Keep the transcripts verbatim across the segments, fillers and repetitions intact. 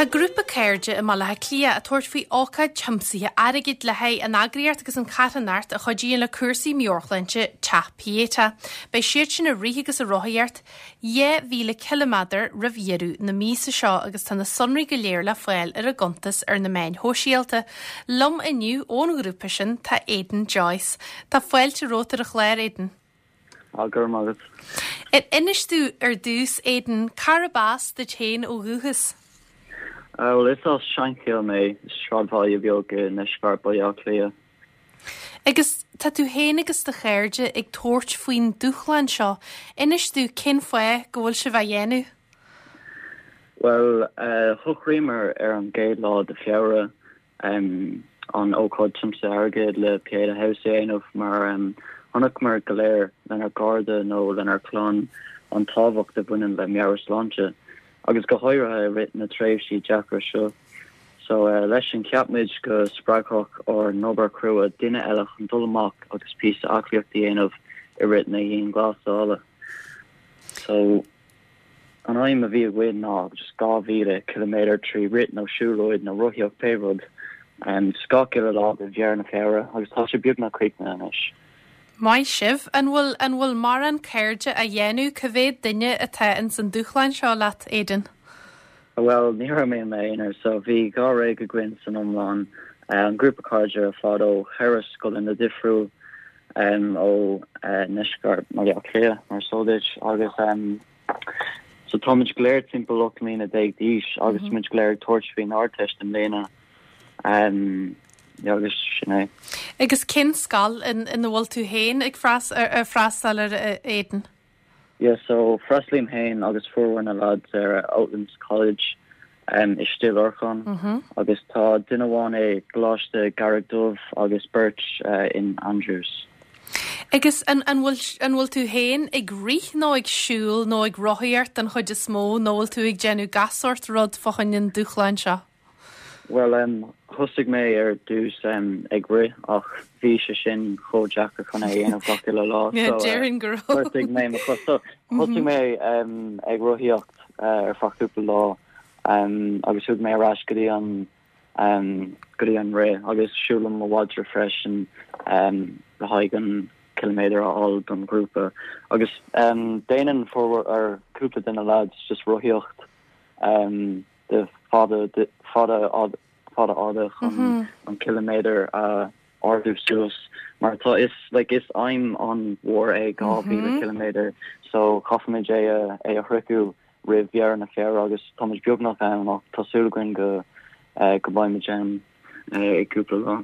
Tá grúpa cairde i mBaile Átha Cliath ag tabhairt faoi ócáid tiomsaithe airgid le haghaidh an eagraíocht agus an charthanacht a chuidíonn le cúrsaí meabhairshláinte Teach Pieta. Beidh siad sin ag rith agus ag rothaíocht dhá mhíle ciliméadar roimh dheireadh na míosa seo agus tá na sonraí go léir le fáil ar a gcuntas ar na meáin shóisialta. Liom inniu ón ghrúpa sin tá Aidan Joyce. Tá fáilte romhat ar an chlár Aidan. Á gur agat. Inis domh ar dtús Aidan cárb as duit féin ó dhúchas. Well is as Seanchill mé sráidbhaile beag i ndeisceart Bhaile Átha Cliath. Agus tá tú féin agus do chairde ag tabhairt faoin dúshlán seo. Inis domh cén fáth go bhfuil sibh á dhéanamh? Well uh, shocraíomar ar an gcéad lá de Feabhra um, an ócáid tiomsaithe airgid le Pieta House a dhéanamh mar um, chonaiceamar go léir lenár gcairde nó lenár gclann an tábhacht a bhaineann le meabhairshláinte. agus go háirithe i rith na tréimhsí deacra seo. So uh, leis sin cheap muid go spreagfadh ár n-obair chrua duine eile chun dul amach agus píosa aclaíochta a dhéanamh i rith na dianghlasála. So an aidhm a bhí againn ná just dhá mhíle kilometer trí rith nó siúlóid nó rothaíocht pé rud um, gach uile lá de dheireadh na Feabhra agus tá sé beagnach críochnaithe anois. Maith sibh an bhfuil an bhfuil mórán cairde á dhéanamh cá mhéad duine atá in san dúshlán seo leat Aidan. Well ní raibh mé aonar so bhí dháréag againn san iomlán uh, an grúpa cairde ar fad ó cheithre scoileanna difriúil um, ó uh, ndeisceart Bhaile Átha Cliath mar so duit agus um, so táimid go léir timpeall ocht mbliana déag d'aois agus mm -hmm. muid go léir ag tabhairt faoin Ardteist i mbliana um, agus sin é. Agus cén scoil ina bhfuil tú féin ag freastal ar Aidan? Yeah, so freastalaím féin agus formhór na lads ar Oatlands College um, i Stigh Lorcáin mm -hmm. agus tá duine amháin i gColáiste Charraig Dubh agus beirt uh, in Andrews. Agus an an bhfuil tú féin ag rith nó ag siúl nó ag rothaíocht an chuid is mó nó bhfuil tú ag déanamh gach sórt rud fá choinne an dúshlán seo? Well um, thosaigh mé ar dtús um, ag rith ach bhí sé sin chomh deacair chun é a dhéanamh gach lá Déarfainn go raibh mé thosaigh mé um, ag rothaíocht uh, ar feadh cúpla lá um, agus thug mé ar ais go dtí an um, go dtí an rith agus siúlaim mo mhadra freisin um, le haghaidh an kilometer a fháil don grúpa agus um, déanann formhór ar cúpla de na lads just rothaíocht um, de fada de fada fada fada chun mm -hmm. an kilometer uh, ardú suas mar tá is like is aidhm an-mhór é dhá mhíle mm -hmm. kilometer so caithfimid é a é a shroicheadh roimh dheireadh na Feabhra agus táimid beagnach ann ach tá súil againn go uh, go mbeimid ann uh, i cúpla lá.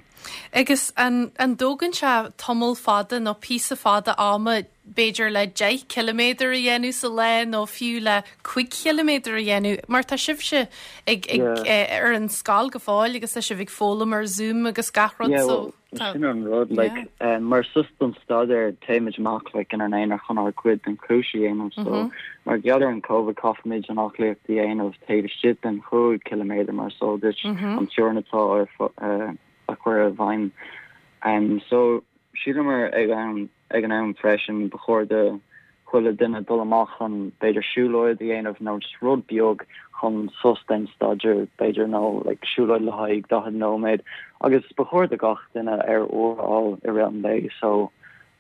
Agus an, an dtógann sé tamall fada nó píosa fada ama b'fhéidir le deich kilometer a dhéanamh sa lá nó fiú le cúig kilometer a dhéanamh, mar tá sibhse ag, ag, yeah. ar an scoil go fóill agus tá sibh ag foghlaim ar Zoom agus gach rud yeah, so. Well, sin an rud like um, mar sos don staidéar téimid amach like in ar n-aonar chun ár gcuid den chúrsa a dhéanamh so mm -hmm. mar gheall ar an COVID caithfimid an aclaíocht a dhéanamh taobh istigh den chúig kilometer mar so duit mm -hmm. an teorainn atá ar uh, a chur i bhfeidhm um, so shíleamar ag an ag an am freisin ba chóir do chuile duine dul amach chun b'fhéidir siúlóid a dhéanamh nó just rud beag chun sos den staidéar b'fhéidir nó like siúlóid le haghaidh daichead nóiméad agus ba chóir do gach duine aer úr a fháil i rith an lae so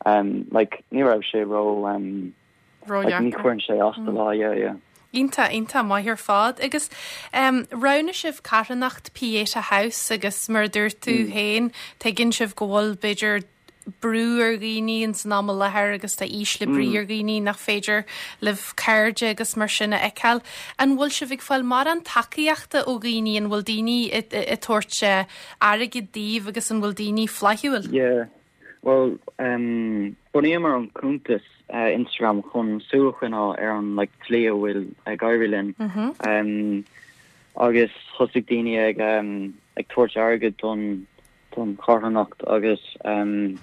um like ní raibh sé ró um like, ní chuireann sé as do lá yeah yeah. Iontach iontach maith ar fad agus um, roghnaigh sibh carthanacht Pieta House agus mar dúirt tú mm. féin tuigeann sibh go bhfuil b'fhéidir brú ar dhaoine in san am i láthair agus tá ísle brí mm. ar dhaoine nach féidir libh cairde agus mar sin a fheiceáil. An bhfuil sibh ag fáil mórán tacaíochta ó dhaoine an bhfuil daoine ag tabhairt airgead daoibh agus an bhfuil daoine flaithiúil? Yeah. Well um, bunaíomar an cuntas uh, Instagram chun súil a choinneáil ar an like, tslí a bhfuil ag éirí linn. Mm -hmm. um, agus thosaigh daoine ag um, ag tabhairt airgead don don charthanacht agus um,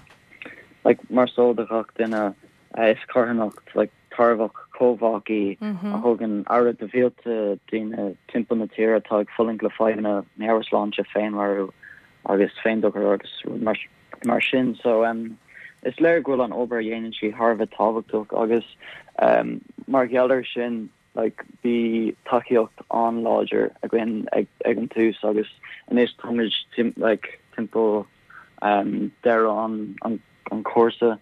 like mar so do gach duine uh, is carthanacht like tairbheach comhbhách í mm -hmm. a thugann aire do mhílte daoine timpeall na tíre atá ag fulaingt le fadhbanna meabhairshláinte féinmharú agus féindochar agus mar, mar sin so um, is léir go bhfuil an obair a dhéanann sí thar a bheith tábhachtach agus um, mar gheall air sin like bhí tacaíocht an-láidir againn ag ag an tús agus anois táimid tim like timpeall um deireadh an an an cúrsa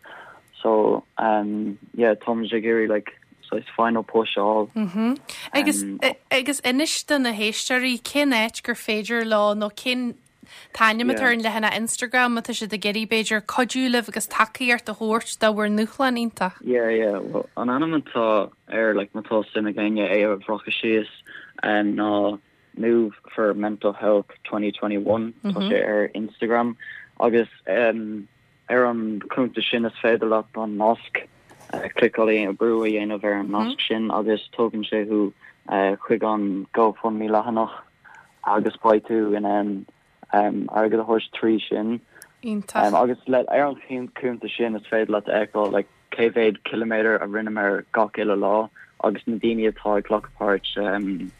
so um yeah táimid ag iarraidh like so it's final push all Mm -hmm. Agus Um, agus inis do na héisteoirí cén áit gur féidir leo nó cén t-ainm atá Yeah. ar an leathanach Instagram atá siad ag iarraidh b'fhéidir cuidiú libh agus tacaíocht a thabhairt do bhur ndúshlán iontach. Yeah, yeah. Well, an ainm atá air like má tá suim ag éinne é a bhreacadh síos um, ná Move for Mental Health twenty twenty-one mm -hmm. Tá sé ar Instagram agus um, ar an cuntas sin is féidir leat an nasc uh, cliceáil brú a dhéanamh ar an nasc sin agus tugann sé thú uh, chuig an GoFundMe leathanach agus beidh tú in ann um, airgead a thabhairt trí sin. Iontach. Um, agus le ar an cuntas sin is féidir leat feiceáil like, cé mhéad kilometer a rinneamar gach uile lá agus na daoine atá ag glacadh páirt um,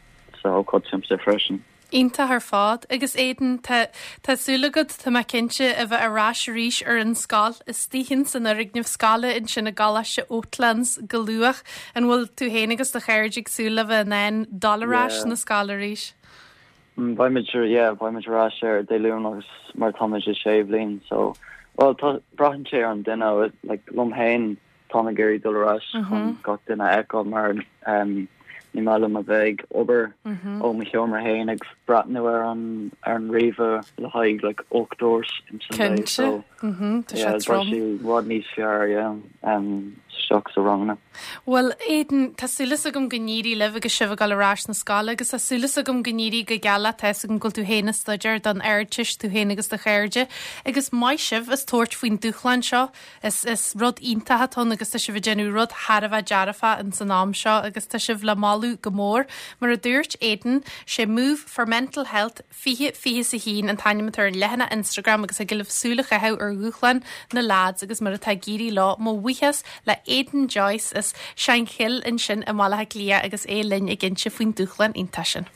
sa ócáid tiomsa freisin. Iontach ar fad agus Aidan tá tá súil agat tá mé cinnte a bheith ar ais arís ar an scoil istigh san fhoirgneamh scoile ansin i gColáiste Oatlands go luath an bhfuil tú féin agus do chairde ag súil le bheith in ann dul ar ais Yeah. na scoile arís. Mm, Beimid yeah, beimid ar ais ar Dé Luain agus mar táimid i sé bhliain so well tá braitheann sé ar an duine like liom féin tá ag iarraidh dul ar ais chun gach duine a fheiceáil mar um, ní maith liom a bheith ag obair ó mo sheomra féin ag breathnú ar an ar an ríomhaire le haghaidh like ocht uair in san Cinnte. so Mhm, Tá sé yeah, trom. sé i bhfad níos fearr yeah, um, isteach sa ranganna. Well Aidan tá súil agam go n-éirí libh agus sibh ag dul ar ais na scoile agus tá súil agam go n-éirí go geal tá agam go bhfuil tú féin ag staidéar don Ardteist tú féin agus do chairde agus maith sibh as tabhairt faoin dúshlán seo is is rud iontach atá ann agus tá sibh ag déanamh rud thar a bheith dearfach in san am seo agus tá sibh le moladh go mór mar a dúirt Aidan sé Move for Mental Health fiche fiche a haon an t-ainm atá ar an leathanach Instagram agus ag libh súil a chaitheamh ar dhúshlán na lads agus mar atá ag éirí leo mo bhuíochas le Aidan Joyce as Shankill ansin i mBaile Átha Cliath agus é linn ag inse faoin dúshlán iontach sin.